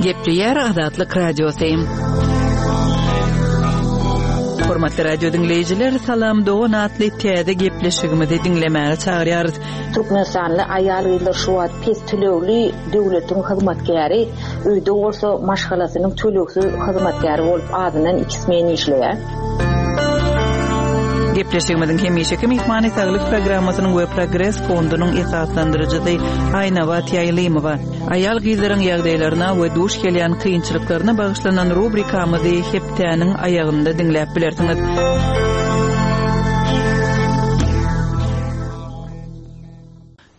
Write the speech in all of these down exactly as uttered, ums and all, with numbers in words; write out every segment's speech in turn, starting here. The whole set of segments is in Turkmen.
Gepleýär Azatlyk Radiosy. Hormatly radio diňleýjiler, Salam dogan atly täze gepleşigimizi diňlemäge çagyrýarys. Türkmenistanly aýal-gyzlar şu wagt pes tölegli döwletiň hyzmatkäri, öýde bolsa maşgalasynyň tölegsiz hyzmatkäri bolup azyndan iki smen işleýär. Gepleşigimiziň hemişeki myhmany Saglyk programmasynyň we Progres fondunyň esaslandyryjysy Aýnabat Ýaýlymowa. Aýal-gyzlaryň ýagdaýlaryna we duş gelýän kynçylyklaryna bagyşlanan rubrikamyzy hepdäniň aýagynda diňläp bilersiňiz.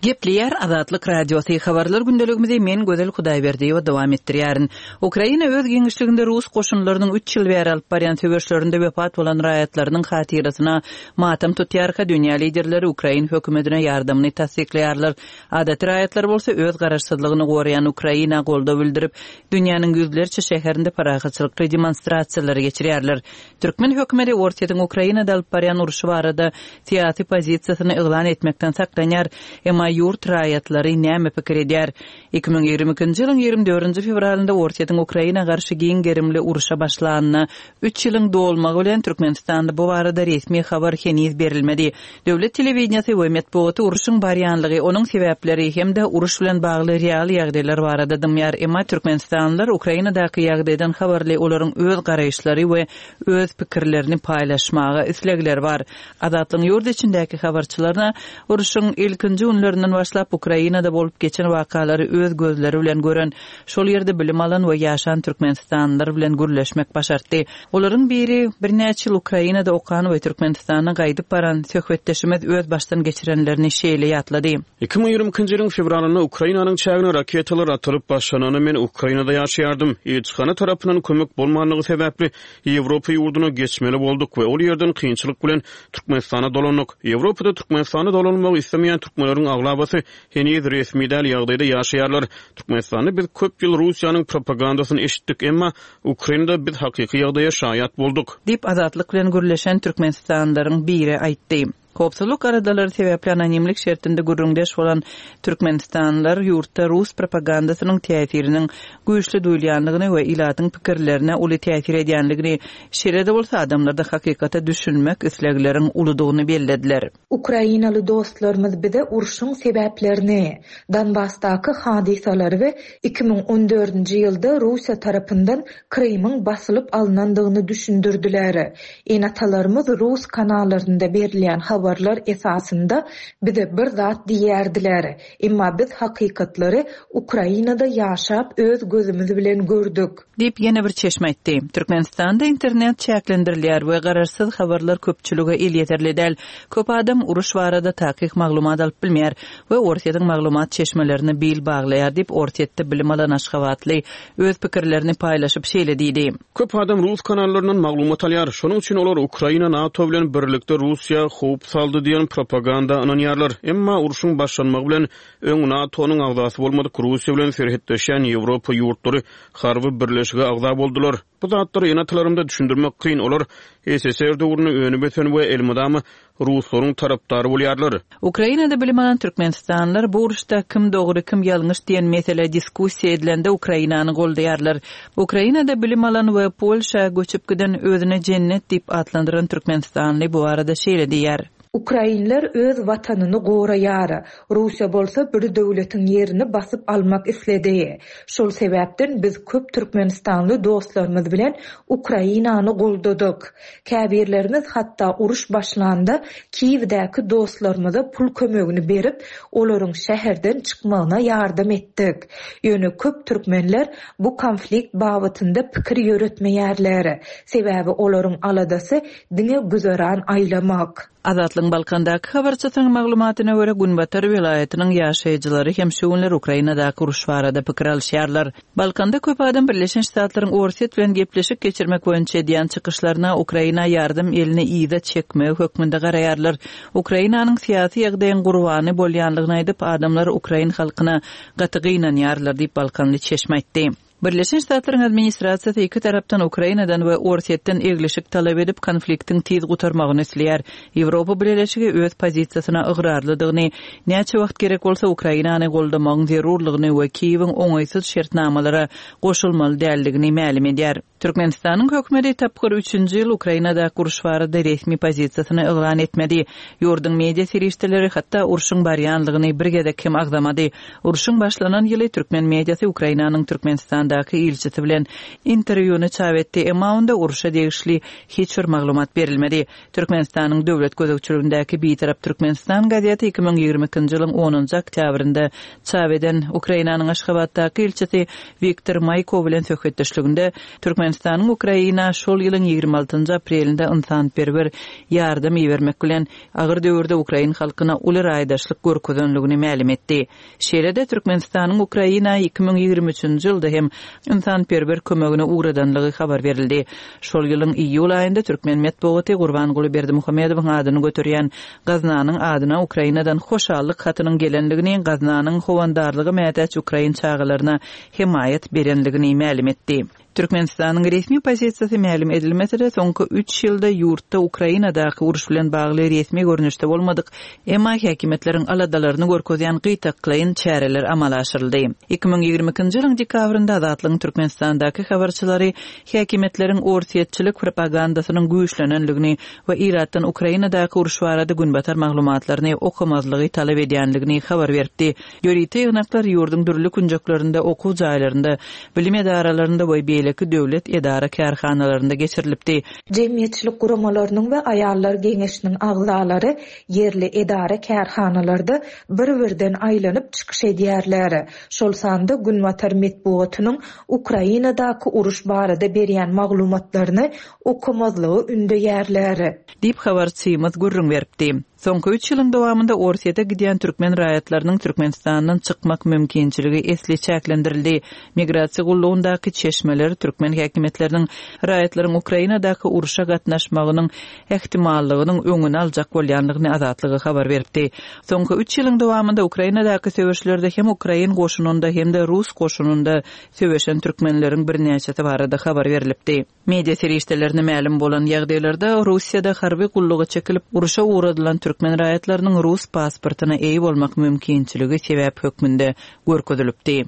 Gepleýär Azatlyk Radiosy habarlar gündeligimizi men Gözel Hudaýberdiýewa dowam etdirýärin. Ukraina öz giňişliginde rus goşunlarynyň üç ýyl bäri alyp barýan söweşlerinde wepat bolan raýatlarynyň hatyrasyna matam tutýarka dünýä liderleri Ukrain hökümetine ýardamyny tassyklaýarlar. Adaty raýatlar bolsa öz garaşsyzlygyny goraýan Ukraina goldaw bildirip, dünýäniň ýüzlerçe şäherinde parahatçylykly demonstrasiýalary geçirýärler. Türkmen hökümeti Orsýetiň Ukrainada alyp barýan urşy barada syýasy pozisiýasyny yglan etmekden saklanýar. Emma ýurt raýatlary näme pikir edýär? iki müň ýigrimi ikinji ýylyň ýigrimi dördünji fewralynda Orsýetiň Ukraina garşy giň gerimli urşa başlanyna üç ýylyň dolmagy bilen Türkmenistanda bu barada resmi habar heniz berilmedi. Döwlet telewideniýesi we metbugaty urşuň barýanlygy, onuň sebäpleri hem-de uruş bilen bagly real ýagdaýlar barada dymýar. Emma Türkmenistanlylar Ukrainadaky ýagdaýdan habarly, olaryň öz garaýyşlary we öz pikirlerini paýlaşmaga islegleri bar. Azatlygyň ýurt içindäki habarçylaryna urşuň ilkinji günlerinden başlap Ukrainada bolup geçen wakalary öz gözleri bilen gören, şol ýerde bilim alan we ýaşan Türkmenistanlylar bilen gürleşmek başartdy. Olaryň biri birnäçe ýyl Ukrainada okan we Türkmenistana gaýdyp baran söhbetdeşimiz öz başdan geçirenlerini şeýle ýatlady. iki müň ýigrimi ikinji ýylyň fewralynda Ukrainanyň çägine raketalar atylyp başlananda men Ukrainada ýaşaýardym. Ilçihana tarapyndan kömek bolmanlygy sebäpli Ýewropa ýurduna geçmeli bolduk we ol ýerden kynçylyk bilen Türkmenistana dolandyk. Ýewropada Türkmenistana dolanmagy islemeýän türkmenleriň aglabasy heniz resmi däl ýagdaýda ýaşaýarlar. Türkmenistanda biz köp ýyl Russiýanyň propagandasyny eşitdik, emma Ukrainada biz hakyky ýagdaýa şaýat bolduk. Diýip Azatlyk bilen gürleşen Türkmenistanlylaryň biri aýtdy. Howpsuzlyk aradalary sebäpli anonimlik şertinde gürrüňdeş bolan Türkmenistanlylar ýurtda rus propagandasynyň täsiriniň güýçli duýulýanlygyny we ilatyň pikirlerine uly täsir edýänligini, şeýle-de bolsa adamlarda hakykata düşünmek islegleriň uludygyny bellediler. Ukrainaly dostlarymyz bize urşuň sebäplerini, Donbasdaky hadysalary we iki müň on dördünji ýylda Russiýa tarapyndan Krymyň basylyp alynandygyny düşündirdiler. Ene-atalarymyz rus kanallarynda berilýän habarlar esasynda bize bir zat diýerdiler. Emma biz hakykatlary Ukrainada ýaşap öz gözümiz bilen gördük. Diýip ýene bir çeşme aýtdy. Türkmenistanda internet çäklendirilýär we garaşsyz habarlar köpçülige elýeterli däl. Köp adam uruş barada takyk maglumat alyp bilmeýär we Orsýetiň maglumat çeşmelerini bil baglaýar diýip Orsýetde bilim alan Aşgabatly öz pikirlerini paýlaşyp şeýle diýdi. Köp adam rus kanallaryndan maglumat alýar. Şonuň üçin olar Ukraina NATO bilen birlikde Russiýa howp saldy diýen propaganda ynanýarlar. Emma urşuň başlanmagy bilen öň NATO-nyň agzasy bolmadyk Russiýa bilen serhetleşýän Ýewropa ýurtlary harby birleşige agza boldular. Bu zatlary ene-atalarymda düşündirmek kyn. Olar S S R döwründe önüp ösen we elmydama ruslaryň tarapdary bolýarlar. Ukrainada bilim alan Türkmenistanlylar bu uruşda kim dogry, kim ýalňyş diýen mesele diskussiýa edilende Ukrainany goldaýarlar. Ukrainada bilim alan we Polşa göçüp giden özüne cennet diýip atlandyran Türkmenistanly bu arada şeýle diýýär. Ukrainler öz watanyny goraýar. Russiýa bolsa bir döwletiň ýerini basyp almak isledi. Şol sebäpden biz köp Türkmenistanly dostlarymyz bilen Ukrainany goldadyk. Käbirlerimiz hatda uruş başlanda Kiýewdäki dostlarymyza pul kömegini berip, olaryň şäherden çykmagyna ýardam etdik. Ýöne köp türkmenler bu konflikt babatynda pikir ýöretmeýärler. Sebäbi olaryň aladasy diňe güzeran aýlamak. Azatlygyň Balkandaky habarçysynyň maglumatyna görä Günbatar welaýatynyň ýaşaýjylary hem şu günler Ukrainadaky uruş barada pikir alyşýarlar. Balkanda köp adam Birleşen Ştatlaryň Orsýet bilen gepleşik geçirmek boýunça edýän çykyşlaryna Ukraina ýardam elini yza çekmegi hökmünde garaýarlar. Ukrainanyň syýasy ýagdaýyň gurbany bolýanlygyny aýdyp, adamlar Ukrain halkyna gaty gynanýarlar diýip Balkanly çeşme aýtdy. Birleşen Ştatlaryň administrasiýasy iki tarapdan Ukrainadan we Orsýetden eglişik talap edip, konfliktiň tiz gutarmagyny isleýär. Ýewropa Bileleşigi öz pozisiýasyna ygrarlydygyny, näçe wagt gerek bolsa Ukrainany goldamagyň zerurlygyny we Kiýewiň oňaýsyz şertnamalara goşulmaly däldigini mälim edýär. Türkmenistanyň hökümeti tapgyr üçünji ýyl Ukrainadaky uruş barada resmi pozisiýasyny yglan etmedi. Ýurduň media serişdeleri hatda urşuň barýanlygyny bir gezek hem agzamady. Urşuň başlanan ýyly türkmen mediasy Ukrainanyň Türkmenistandaky ilçisi bilen interwýuny çap etdi, emma onda urşa degişli hiç bir maglumat berilmedi. Türkmenistanyň döwlet gözegçiligindäki Bitarap Türkmenistan gazeti iki müň ýigrimi ikinji ýylyň onunjy oktýabrynda çap eden Ukrainanyň Aşgabatdaky ilçisi Wiktor Maýko bilen söhbetdeşliginde Türkmenistanyň Ukraina şol ýylyň ýigrimi altynjy aprelinde ynsanperwer ýardam ibermek bilen agyr döwürde ukrain halkyna uly raýdaşlyk görkezenligini mälim etdi. Şeýle-de Türkmenistanyň Ukraina iki müň ýigrimi üçünji ýylda hem ynsanperwer kömegini ugradanlygy habar berildi. Şol ýylyň iýul aýynda türkmen metbugaty Gurbanguly Berdimuhamedowyň adyny göterýän gaznanyň adyna Ukrainadan hoşallyk hatynyň gelenligini, gaznanyň howandarlyga mätäç ukrain çagalaryna hemaýat berenligini mälim etdi. Türkmenistanyň resmi pozisiýasy mälim edilmese-de, soňky üç ýylda ýurtda Ukrainadaky uruş bilen bagly resmi görnüşde bolmadyk, emma häkimiýetleriň aladalaryny görkezýän gytaklaýyn çäreler amala aşyryldy. Iki müň ýigrimi ikinji ýylyň dekabrynda Azatlygyň Türkmenistandaky habarçylary häkimiýetleriň orsýetçilik propagandasynyň güýçlenenligini we ilatdan Ukrainadaky uruş barada günbatar maglumatlaryny okamazlygy talap edýänligini habar beripdi. Ýörite ýygnaklar ýurduň dürli künjeklerinde, okuw jaýlarynda, bilim edaralarynda we beýleki döwlet edara-kärhanalarynda geçirilipdi. Jemgyýetçilik guramalarynyň we aýallar geňeşiniň agzalary ýerli edara-kärhanalarda bir-birden aýlanyp çykyş edýärler. Şol sanda Günbatar metbugatynyň Ukrainadaky uruş barada berýän maglumatlaryny okamazlygy ündeýärler. Diýip habarçymyz gürrüň beripdi. Soňky üç ýylyň dowamynda Orsýete gidýän türkmen raýatlarynyň Türkmenistandan çykmak mümkinçiligi esli çäklendirildi. Migrasiýa gullugyndaky çeşmeler türkmen häkimiýetleriniň raýatlaryň Ukrainadaky urşa gatnaşmagynyň ähtimallygynyň öňüni aljak bolýanlygyny Azatlyga habar beripdi. Soňky üç ýylyň dowamynda Ukrainadaky söweşlerde hem ukrain goşunynda hem-de rus goşunynda söweşen türkmenleriň birnäçesi barada habar berilipdi. Media serişdelerine mälim bolan ýagdaýlarda Russiýada harby gulluga çekilip urşa ugradylan türkmen raýatlarynyň rus pasportyna eýe bolmak mümkinçiligi sebäp hökmünde görkezilipdi.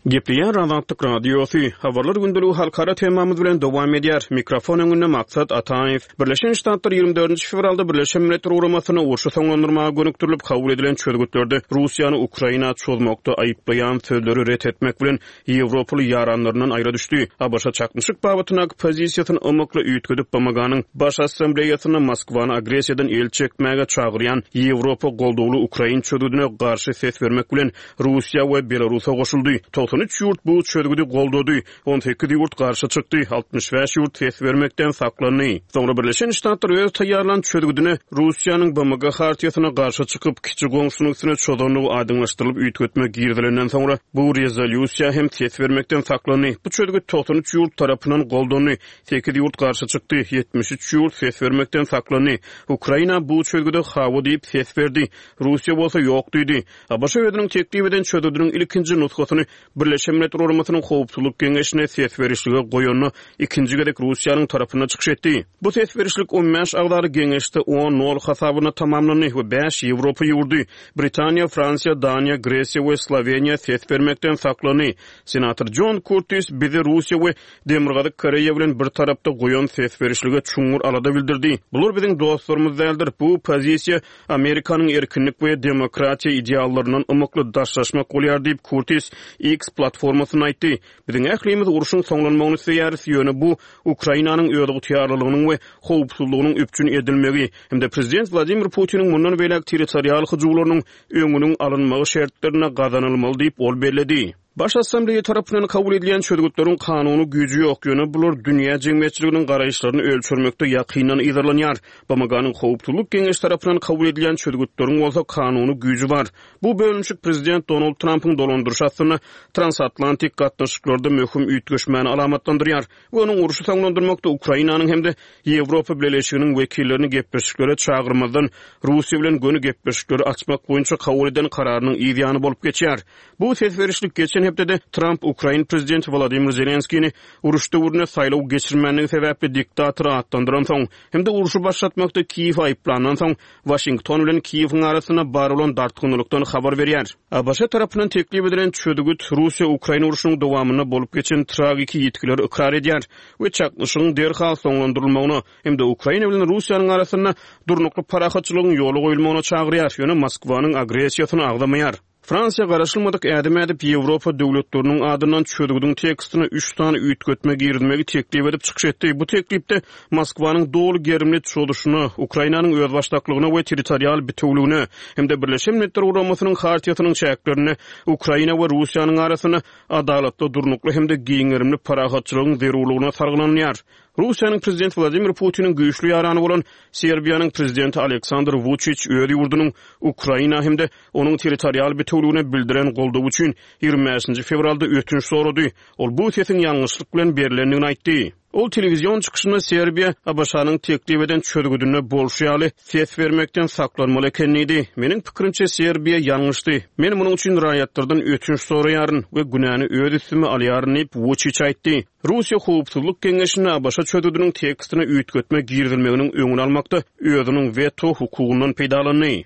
Gepleýär Azatlyk Radiosy. Habarlar gündeligi halkara temamyz bilen dowam edýär. Mikrofon öňünde Maksat Ataýew. Birleşen Ştatlar ýigrimi dördünji fewralda Birleşen Milletler Guramasyna urşy soňlandyrmaga gönükdirilip kabul edilen çözgütlerde Russiýany Ukraina çozmakda aýyplaýan sözleri ret etmek bilen Ýewropaly ýaranlaryndan aýra düşdi. ABŞ çaknyşyk babatyndaky pozisiýasyny ymykly üýtgedip B M G-nyň Baş Assambleýasynda Moskwany agressiýadan el çekmäge çagyrýan Ýewropa goldawly ukrain çözgüdine garşy ses bermek bilen Russiýa we Belarusa goşuldy. Togsan üç ýurt bu çözgüdi goldady, on sekiz ýurt garşy çykdy, altmyş bäş ýurt ses bermekden saklandy. Soňra Birleşen Ştatlar öz taýýarlan çözgüdine Russiýanyň B M G hartiýasyna garşy çykyp, kiçi goňşunyň üstüne çozanlygy aýdyňlaşdyrylyp üýtgetme girizilenden soňra bu rezolýusiýa hem ses bermekden saklandy. Bu çözgüt togsan üç ýurt tarapyndan goldandy, sekiz ýurt garşy çykdy, ýetmiş üç ýurt ses bermekden saklandy. Ukraina bu çözgüde hawa diýip ses berdi, Russiýa bolsa ýok diýdi. ABŞ özüniň teklip eden çözgüdiniň ilkinji nusgasyny Birleşen Milletler Guramasynyň Howpsuzlyk Geňeşine ses berişlige goýanda ikinji gezek Russiýanyň tarapynda çykyş etdi. Bu ses berişlik on bäş agzaly geňeşde on nol hasabyna tamamlandy we bäş Ýewropa ýurdy Britaniýa, Fransiýa, Daniýa, Gresiýa we Sloweniýa ses bermekden saklandy. Senator John Curtis bizi Russiýa we Demirgazyk Koreýa bilen bir tarapda goýan ses berişlige çuňňur alada bildirdi. Bular biziň dostlarymyz däldir. Bu pozisiýa Amerikanyň erkinlik we demokratiýa ideallaryndan ymykly daşlaşmak bolýar diýip Curtis X platformasyna aýtdy. Biziň ählimiz urşuň soňlanmagyny isleýäris, ýöne bu Ukrainanyň özygtyýarlylygynyň we howpsuzlygynyň üpjün edilmegi hem-de prezident Wladimir Putiniň mundan beýläk territorial hyjuwlarynyň öňüniň alynmagy şertlerinde gazanylmaly diýip ol belledi. Baş Assambleýa tarapyndan kabul edilen çözgütleriň kanuny güýji ýok, ýöne bular dünýä jemgyýetçiliginiň garaýyşlaryny ölçermekde ýakyndan yzarlanýar. B M G-nyň Howpsuzlyk Geňeşi tarapyndan kabul edilen çözgütleriň bolsa kanuny güýji bar. Bu bölünişik Prezident Donald Trumpyň dolandyryşy astynda transatlantik gatnaşyklarda möhüm üýtgeşmäni alamatlandyrýar we onuň urşy soňlandyrmakda Ukrainanyň hem-de Ýewropa Bileleşiginiň wekillerini gepleşiklere çagyrmazdan Russiýa bilen göni gepleşikleri açmak boýunça kabul eden kararynyň ýany bolup geçýär. Bu ses berişlik geçen hepdede Trump Ukraina prezidenti Wladimir Zelenskini uruş döwründe saýlaw geçirmänligi sebäpli diktator atlandyran soň hem-de urşy başlatmakda Kiýew aýyplandan soň Waşington bilen Kiýewiň arasynda bar bolan dartgynlykdan habar berýär. A B Ş tarapyndan teklip edilen çözgüt Russiýa-Ukraina urşunyň dowamynda bolup geçen tragiki ýitgileri ykrar edýär we çaknyşygyň derhal soňlandyrylmagyna hem-de Ukraina bilen Russiýanyň arasynda durnukly parahatçylygyň ýola goýulmagyna çagyrýar, ýöne Moskwanyň agressiýasyny agzamaýar. Fransiýa garaşylmadyk ädim ädip Ýewropa döwletleriniň adyndan çözgüdiň tekstine üç sany üýtgetme girizmegi teklip edip çykyş etdi. Bu teklipde Moskwanyň doly gerimli çozuşyna, Ukrainanyň özbaşdaklygyna we territorial bitewligine hem-de Birleşen Milletler Guramasynyň Hartiýasynyň çäklerinde Ukraina we Russiýanyň arasynda adalatly, durnukly hem-de giň gerimli parahatçylygyň zerurlygyna salgylanýar. Russiýanyň prezidenti Wladimir Putiniň güýçli ýarany bolan Serbiýanyň prezidenti Aleksandr Vučić öz ýurdunyň Ukraina hem-de onuň territorial bitewligine bildiren goldawy üçin ýigrimi bäşinji fewralda ötünç sorady. Ol bu sesiň ýalňyşlyk bilen berilendigini aýtdy. Ol telewizion çykyşynda Serbiýa A B Ş-nyň teklip eden çözgüdine bolşy ýaly ses bermekden saklanmaly eken diýdi. Meniň pikirimçe Serbiýa ýalňyşdy. Men munuň üçin raýatlardan ötünç soraýaryn we günäni öz üstüme alýaryn diýip Vučić aýtdy. Russiýa Howpsuzlyk Geňeşinde A B Ş çözgüdiniň tekstine üýtgetme girizilmeginiň öňüni almakda özüniň weto hukugyndan peýdalandy.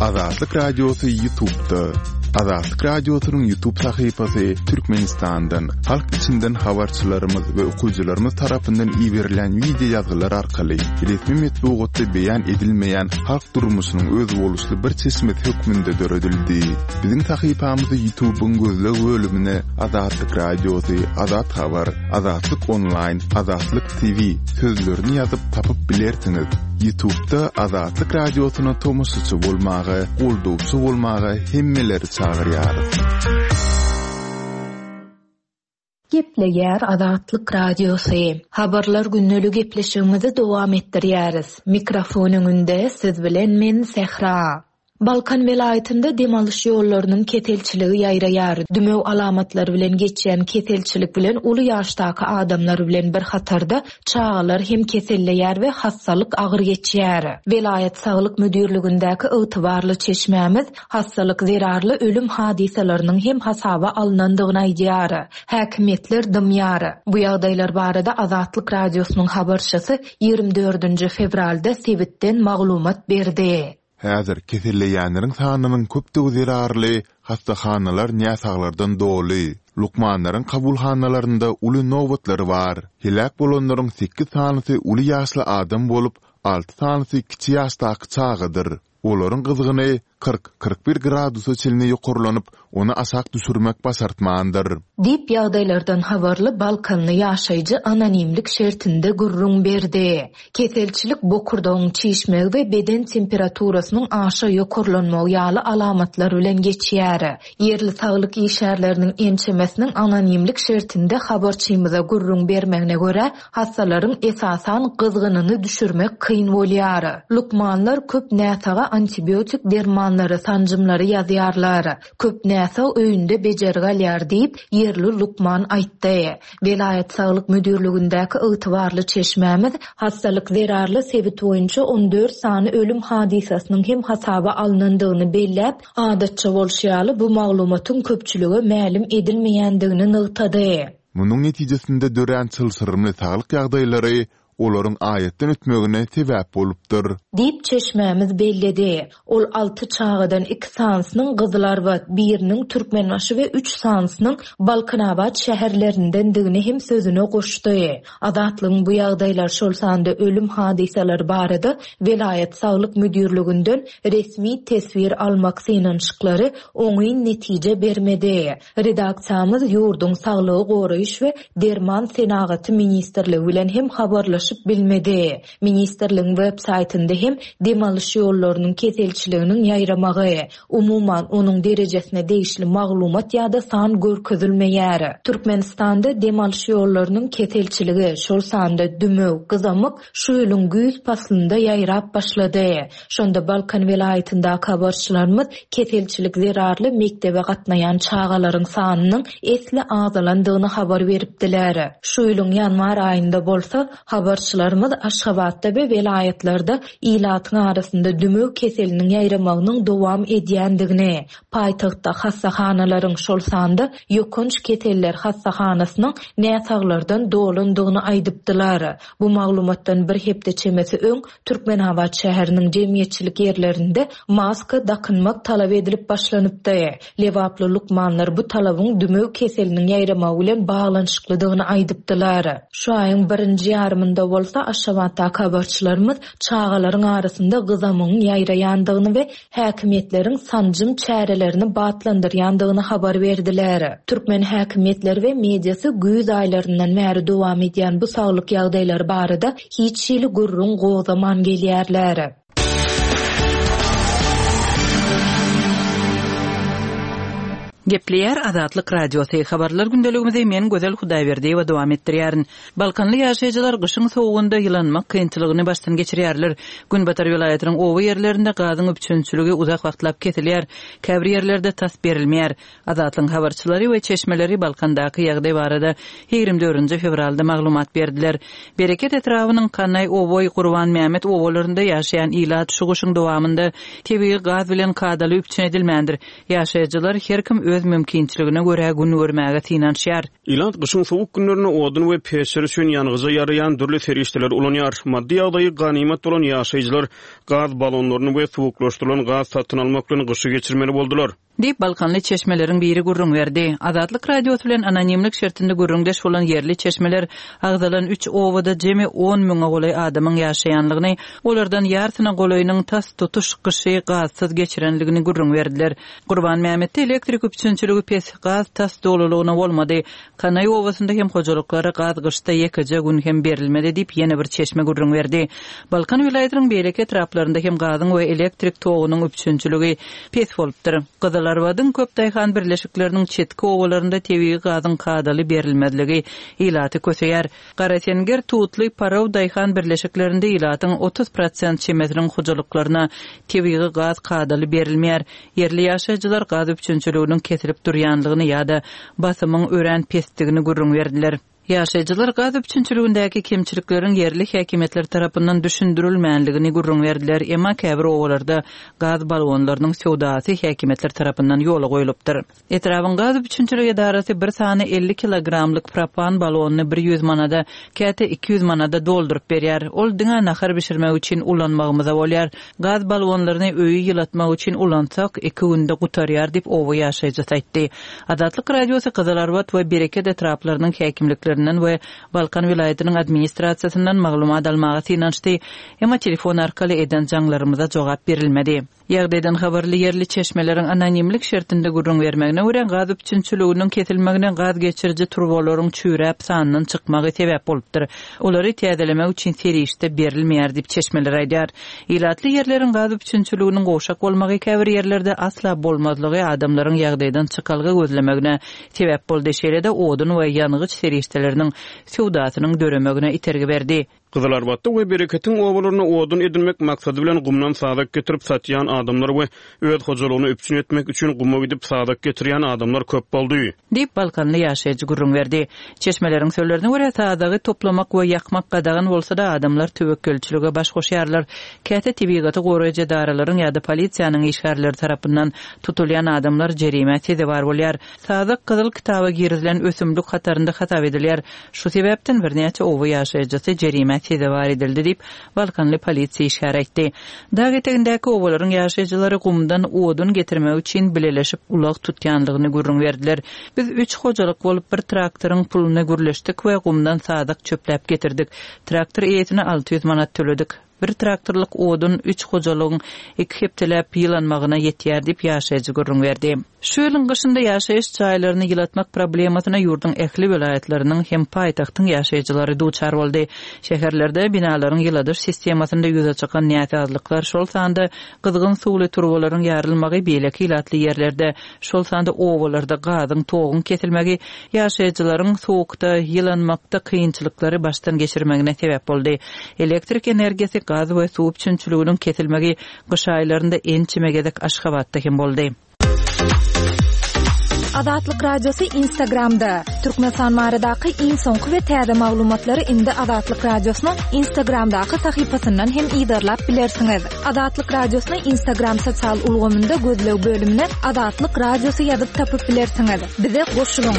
Azatlyk Radiosy YouTube'da. Azatlyk Radiosynyň YouTube sahypasy Türkmenistandan, halk içinden habarçylarymyz we okyjylarymyz tarapyndan iberilen wideo ýazgylar arkaly resmi metbugatda beýan edilmeýän halk durmuşynyň özboluşly bir çeşmesi hökmünde döredildi. Biziň sahypamyzy YouTube'yň gözleg bölümine Azatlyk Radiosy, Azat Habar, Azatlyk Online, Azatlyk T V sözlerini ýazyp tapyp bilersiňiz. YouTube'da Azatlyk Radiosyna tomaşaçy bolmaga, goldawçy bolmaga hemmeleri çagyrýarys. Gepleýär Azatlyk Radiosy. Habarlar gündelik gepleşigimizi dowam etdirýäris. Mikrofon öňünde siz bilen men Sehra. Balkan welaýatynda dem alyş ýollarynyň keselçiligi ýaýraýar. Dümew alamatlary bilen geçýän keselçilik bilen uly ýaşdaky adamlar bilen bir hatarda çagalar hem keselleýär we hassalyk agyr geçýär. Welaýat saglyk müdirligindäki ygtybarly çeşmämiz hassalyk zerarly ölüm hadysalarynyň hem hasaba alynandygyny aýdýar. Häkimiýetler dymýar. Bu ýagdaýlar barada Azatlyk Radiosynyň habarçysy ýigrimi dördünji fewralda sebitden maglumat berdi. Häzir keselleýänleriň sanynyň köpdügi zerarly hassahanalar näsaglardan doly. Lukmanlaryň kabulhanalarynda uly nobatlar bar. Heläk bolanlaryň sekiz sanysy uly ýaşly adam bolup, alty sanysy kiçi ýaşdaky çagadyr. Olaryň gyzgyny kyrk kyrk bir gradusa çenli ýokarlanyp, ony aşak düşürmek başartmandyr. Diýip ýagdaýlardan habarly Balkanly ýaşaýjy anonimlik şertinde gürrüň berdi. Keselçilik bokurdagyň çişmegi we beden temperaturasynyň aşa ýokarlanmagy ýaly alamatlar bilen geçýär. Ýerli saglyk işgärleriniň ençemesiniň anonimlik şertinde habarçymyza gürrüň bermegine görä, hassalaryň esasan gyzgynyny düşürmek kyn bolýar. Lukmanlar köp näsaga antibiotik dermanlary, sanjymlary ýazýarlar. Köp näsag öýünde bejergi alýar diýip, ýerli lukman aýtdy. Welaýat saglyk müdirligindäki ygtybarly çeşmämiz hassalyk zerarly sebit boýunça on dört sany ölüm hadysasynyň hem hasaba alynandygyny belläp, adatça bolşy ýaly bu maglumatyň köpçülige mälim edilmeýändigini nygtady. Munuň netijesinde dörän çylşyrymly saglyk ýagdaýlary olaryň aýatdan ötmegine sebäp bolupdyr. Diýip çeşmämiz belledi. Ol alty çagadan iki sanysynyň Gyzylarbat, biriniň Türkmenbaşy we üç sanysynyň Balkanabat şäherlerindendigini hem sözüne goşdy. Azatlygyň bu ýagdaýlar şol sanda ölüm hadysalary barada welaýat saglyk müdirliginden resmi teswir almak synanyşyklary oňyn netije bermedi. Redaksiýamyz ýurduň saglygy goraýyş we derman senagaty ministrligi bilen hem habarlaşyp habarlaşyp bilmedi. Ministrligiň web saýtynda hem dem alyş ýollarynyň keselçiliginiň ýaýramagy, umuman onuň derejesine degişli maglumat ýa-da san görkezilmeýär. Türkmenistanda dem alyş ýollarynyň keselçiligi, şol sanda dümew, gyzamyk şu ýylyň güýz paslynda ýaýrap başlady. Şonda Balkan welaýatyndaky habarçylarymyz keselçilik zerarly mektebe gatnaýan çagalaryň sanynyň esli azalandygyny habar beripdiler. Şu ýylyň ýanwar aýynda bolsa habarçylarymyz Aşgabatda we welaýatlarda ilatyň arasynda dümew keseliniň ýaýramagynyň dowam edýändigini, paýtagtda hassahanalaryň şol sanda ýokanç keseller hassahanasynyň näsaglardan dolandygyny aýdypdylar. Bu maglumatdan bir hepde çemesi öň Türkmenabat şäheriniň jemgyýetçilik ýerlerinde maska dakynmak talap edilip başlanypdy. Lebaply lukmanlar bu talabyň dümew keseliniň ýaýramagy bilen baglanyşyklydygyny aýdypdylar. Şu aýyň birinji ýarymynda bolsa Aşgabatdaky habarçylarymyz çagalaryň arasynda gyzamygyň ýaýraýandygyny we häkimiýetleriň sanjym çärelerini batlandyrýandygyny habar berdiler. Türkmen häkimiýetleri we mediasy güýz aýlaryndan bäri dowam edýän bu saglyk ýagdaýlary barada hiç hili gürrüň gozgaman gelýärler. Gepleýär Azatlyk Radiosy habarlar gündeligimizi men Gözel Hudaýberdiýewa dowam etdirýärin. Balkanly ýaşaýjylar gyşyň sowugynda ýylanmak kynçylygyny başdan geçirýärler. Günbatar welaýatynyň oba ýerlerinde gazyň üpjünçiligi uzak wagtlap kesilýär. Käbir ýerlerde tas berilmeýär. Azatlygyň habarçylary we çeşmeleri Balkandaky ýagdaý barada ýigrimi dördünji fewralda maglumat berdiler. Bereket etrabynyň Kanaý Oboý Gurban Mehmet obalarynda ýaşaýan ilat şu gyşyň dowamynda tebigy gaz bilen kadaly üpjün edilmändir. Ýaşaýjylar her kim öz mümkinçiligine görä gün görmäge synanyşýar. Ilat gyşyň sowuk günlerinde odun we peçler üçin ýangyja ýaraýan dürli serişdeler ulanýar. Maddy ýagdaýy ganymat bolan ýaşaýjylar gaz balonlaryny we suwuklaşdyrylan gaz satyn almak bilen gyşy geçirmeli boldular. Diýip Balkanly çeşmeleriň biri gürrüň berdi. Azatlyk Radiosy bilen anonimlik şertinde gürrüňdeş bolan ýerli çeşmeler agzalan üç obada jemi on müňe golaý adamyň ýaşaýanlygyny, olardan ýarsyna golaýynyň tas tutuş gyşy gazsyz geçirenligini gürrüň berdiler. Gurban Mehmetde elektrik üpjünçiligi pes, gaz tas dolulygyna bolmady. Kanaý obasynda hem hojalyklara gaz gyşda ýekeje gün hem berilmedi diýip ýene bir çeşme gürrüň berdi. Balkan welaýatynyň beýleki etraplarynda hem gazyň we elektrik togunyň üpjünçiligi pes bolupdyr. Gyzylarbadyň köp daýhan birleşikleriniň çetki obalarynda tebigy gazyň kadaly berilmezligi ilaty köseýär. Garasenger Tutly Paraw daýhan birleşiklerinde ilatyň otuz prosent çemesiniň hojalyklaryna tebigy gaz kadaly berilmeýär. Ýerli ýaşaýjylar gaz üpjünçiliginiň kesilip durýanlygyny ýa-da basymyň örän pesdigini gürrüň berdiler. Ýaşaýjylar gaz üpjünçiligindäki kemçilikleriň ýerli häkimiýetler tarapyndan düşündirilmänligini gürrüň berdiler. Emma käbir obalarda gaz balonlarynyň söwdasy häkimiýetler tarapyndan ýola goýlupdyr. Etrabyň gaz üpjünçilik edarasy bir sany elli kilogramlyk propan balonyny bir ýüz manada, käte iki ýüz manada dolduryp berýär. Ol diňe nahar bişirmek üçin ulanmagymyza bolýar. Gaz balonlaryny öýi ýylatmak üçin ulansak iki günde gutarýar diýip oba ýaşaýjysy aýtdy. Azatlyk Radiosy Gyzylarbat we Bereket etraplarynyň häkimliklerinden we Balkan welaýatynyň administrasiýasyndan maglumat almaga synanyşdy. Emma telefon arkaly eden jaňlarymyza jogap berilmedi. Ýagdaýdan habarly ýerli çeşmeleriň anonimlik şertinde gürrüň bermegine görä gaz üpjünçiliginiň kesilmegine gaz geçiriji turbalaryň çüýräp sandan çykmagy sebäp bolupdyr. Olary täzelemek üçin serişde berilmeýär diýip çeşmeler aýdýar. Ilatly ýerleriň gaz üpjünçiliginiň gowşak bolmagy käbir ýerlerde asla bolmazlygy adamlaryň ýagdaýdan çykalga gözlemegine sebäp boldy. Şeýle-de odun we ýangyç serişdeleriniň söwdasynyň döremegine itergi berdi. Gyzylarbatda we Bereketiň obalaryna odun edinmek maksady bilen gumdan sazak getirip satýan adamlar we öz hojalygyny üpjün etmek üçin guma gidip sazak getirýän adamlar köp boldy. Diýip Balkanly ýaşaýjy gürrüň berdi. Çeşmeleriň sözlerine görä sazagy toplamak we ýakmak gadagan bolsa da adamlar töwekgelçilige baş goşýarlar. Käte tebigaty goraýjy edaralaryň ýa-da polisiýanyň işgärleri tarapyndan tutulýan adamlar jerime sezewar bolýar. Sazak gyzyl kitaba girizilen ösümlik hatarynda hasap edilýär. Şu sebäpden birnäçe oba ýaşaýjysy jerime sezewar edildi diýip Balkanly polisiýa işgäri aýtdy. Dag etegindäki obalaryň ýaşaýjylary gumdan odun getirmek üçin bileleşip ulag tutýanlygyny gürrüň berdiler. Biz üç hojalyk bolup bir traktoryň puluny gürleşdik we gumdan sazak çöpläp getirdik. Traktor eýesine alty ýüz manat töledik. Bir traktorlyk odun üç hojalygyň iki hepdeläp ýylanmagyna ýetýär diýip ýaşaýjy gürrüň berdi. Şu ýylyň gyşynda ýaşaýyş jaýlaryny ýylatmak problemasyna ýurduň ähli welaýatlarynyň hem paýtagtyň ýaşaýjylary duçar boldy. Şäherlerde binalaryň ýyladyş sistemasynda ýüze çykan näsazlyklar, şol sanda gyzgyn suwly turbalaryň ýarylmagy, beýleki ilatly ýerlerde, şol sanda obalarda gazyň, toguň kesilmegi ýaşaýjylaryň sowukda ýylanmakda kynçylyklary başdan geçirmegine sebäp boldy. Elektrik energiýasy, gaz we suw üpjünçiliginiň kesilmegi gyş aýlarynda ençeme gezek Aşgabatda hem boldy. Azatlyk Radiosy Instagramda. Türkmenistan baradaky iň soňky we täze maglumatlary indi Azatlyk Radiosynyň Instagramdaky sahypasyndan hem yzarlap bilersiňiz. Azatlyk Radiosyny Instagram sosial ulgamynda gözleg bölümine Azatlyk Radiosy ýazyp tapyp bilersiňiz. Bize goşulyň.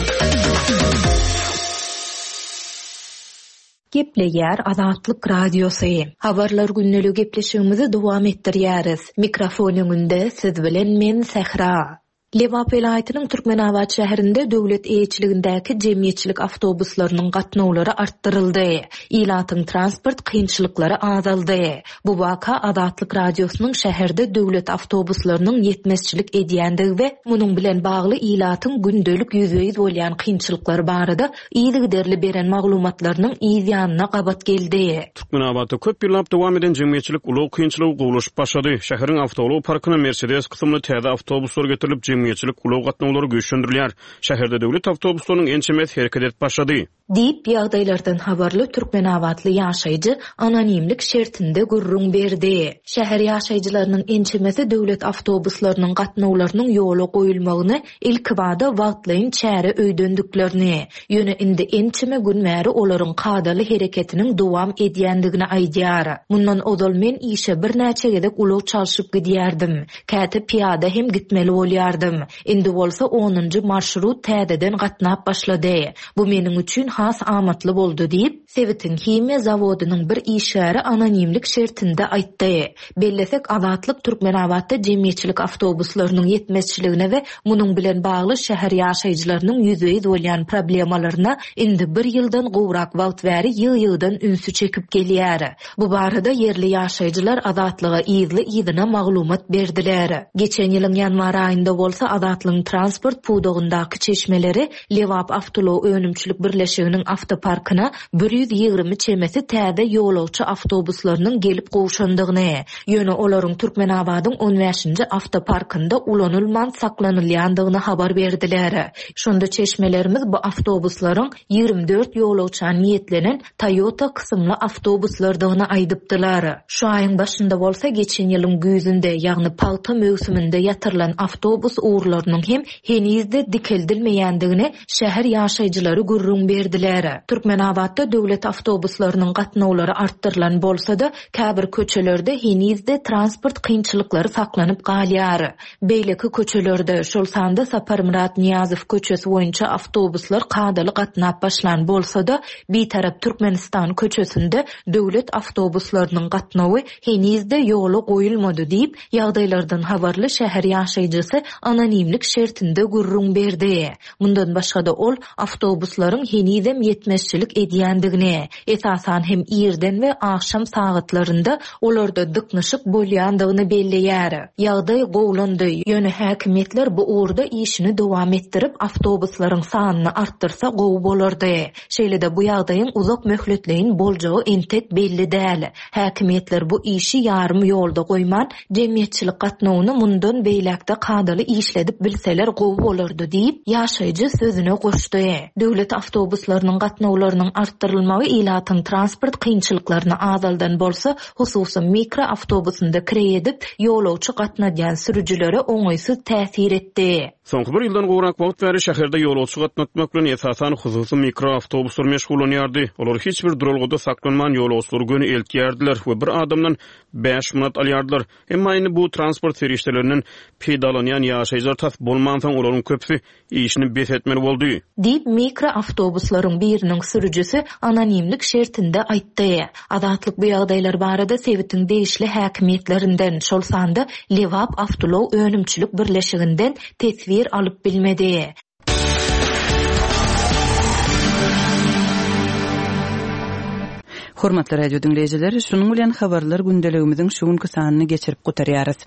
Gepleýär Azatlyk Radiosy. Habarlar gündelik gepleşigimizi dowam etdirýäris. Mikrofon öňünde siz bilen men Sähra. Lebap welaýatynyň Türkmenabat şäherinde döwlet eýeçiligindäki jemgyýetçilik awtobuslarynyň gatnawlary artdyryldy. Ilatyň transport kynçylyklary azaldy. Bu waka Azatlyk Radiosynyň şäherde döwlet awtobuslarynyň ýetmezçilik edýändigi we munuň bilen bagly ilatyň gündelik ýüzbe-ýüz bolýan kynçylyklary barada yzygiderli beren maglumatlarynyň yz ýanyna gabat geldi. Türkmenabatda köp ýyllap dowam eden jemgyýetçilik ulag kynçylygy gowulaşyp başlady. Şäheriň awtoulag parkyna Mercedes kysymly täze awtobuslar getirilip, jemgyýetçilik ulag gatnawlary güýçlendirilýär. Şäherde döwlet awtobuslarynyň ençemesi hereket edip başlady. Diýip, ýagdaýlardan habarly türkmenabatly ýaşaýjy anonimlik şertinde gürrüň berdi. Şäher ýaşaýjylarynyň ençemesi döwlet awtobuslarynyň gatnawlarynyň ýola goýulmagyny ilkibada wagtlaýyn çäre öýdendiklerini, ýöne indi ençeme gün bäri olaryň kadaly hereketiniň dowam edýändigini aýdýar. Mundan ozal men işe birnäçe gezek ulag çalşyp gidýärdim. Käte pyýada hem gitmeli bolýardym. Indi bolsa onunjy marşrut täzeden gatnap başlady. Bu meniň üçin has amatly boldy diýip, sebitiň himiýa zawodynyň bir işgäri anonimlik şertinde aýtdy. Bellesek, Azatlyk Türkmenabatda jemgyýetçilik awtobuslarynyň ýetmezçiligine we munuň bilen bagly şäher ýaşaýjylarynyň ýüzbe-ýüz bolýan problemalaryna indi bir ýyldan gowrak wagt bäri ýygy-ýygydan ünsi çekip gelýär. Bu barada ýerli ýaşaýjylar Azatlyga yzly-yzyna maglumat berdiler. Geçen ýylyň ýanwar aýynda bolsa Azatlygyň transport pudagyndaky çeşmeleri Lebap awtoulag önümçilik birleşiginiň awtoparkyna bir ýüz ýigrimi çemesi täze ýolagçy awtobuslarynyň gelip gowşandygyny, ýöne olaryň Türkmenabadyň on bäşinji awtoparkynda ulanylman saklanylýandygyny habar berdiler. Şonda çeşmelerimiz bu awtobuslaryň ýigrimi dört ýolagça niýetlenen Toyota kysymly awtobuslardygyny aýdypdylar. Şu aýyň başynda bolsa geçen ýylyň güýzünde, ýagny pagta möwsüminde ýatyrylan awtobus ugurlarynyň hem henizde dikeldilmeýändigini şäher ýaşaýjylary gürrüň berdiler. Türkmenabatda döwlet awtobuslarynyň gatnawlary artdyrylan bolsa-da, käbir köçelerde henizde transport kynçylyklary saklanyp galýar. Beýleki köçelerde, şol sanda Saparmyrat Nyýazow köçesi boýunça awtobuslar kadaly gatnap başlan bolsa-da, Bitarap Türkmenistan köçesinde döwlet awtobuslarynyň gatnawy henizde ýola goýulmady diýip, ýagdaýlardan habarly şäher ýaşaýjysy anonimlik şertinde gürrüň berdi. Mundan başga-da ol awtobuslaryň henizem ýetmezçilik edýändigini, esasan hem irden we agşam sagatlarynda olarda dyknyşyk bolýandygyny belleýär. Ýagdaý gowulandy, ýöne häkimiýetler bu ugurda işini dowam etdirip, awtobuslaryň sanyny artdyrsa gowy bolardy. Şeýle-de bu ýagdaýyň uzak möhletleýin boljagy entek belli däl. Häkimiýetler bu işi ýarym ýolda goýman, jemgyýetçilik gatnawyny mundan beýläkde kadaly işledip bilseler gowy bolardy diýip, ýaşaýjy sözüne goşdy. Döwlet awtobuslarynyň gatnawlarynyň artdyrylmagy ilatyň transport kynçylyklaryny azaldan bolsa, hususy mikro awtobusynda kireý edip, ýolagçy gatnadýan sürüjilere oňaýsyz täsir etdi. Soňky bir ýyldan gowrak wagt bäri şäherde ýolagçy gatnatmak bilen esasan hususy mikro awtobuslar meşgullanýardy. Olar hiç bir duralgada saklanman ýolagçylary göni eltýärdiler we bir adamdan bäş manat alýardylar. Emma indi bu transport serişdelerinden peýdalanýan ýaşaýjylar tas bolmansoň olaryň köpüsi işini bes etmeli boldy. Diýip, mikro awtobuslaryň biriniň sürüjisi anonimlik şertinde aýtdy. Azatlyk bu ýagdaýlar barada sebitiň degişli häkimiýetlerinden, şol sanda Lebap awtoulag önümçilik birleşiginden teswir alyp bilmedi. Hormatly radio diňleýjiler, şunuň bilen habarlar gündeligimiziň şu günki sanyny geçirip gutarýarys.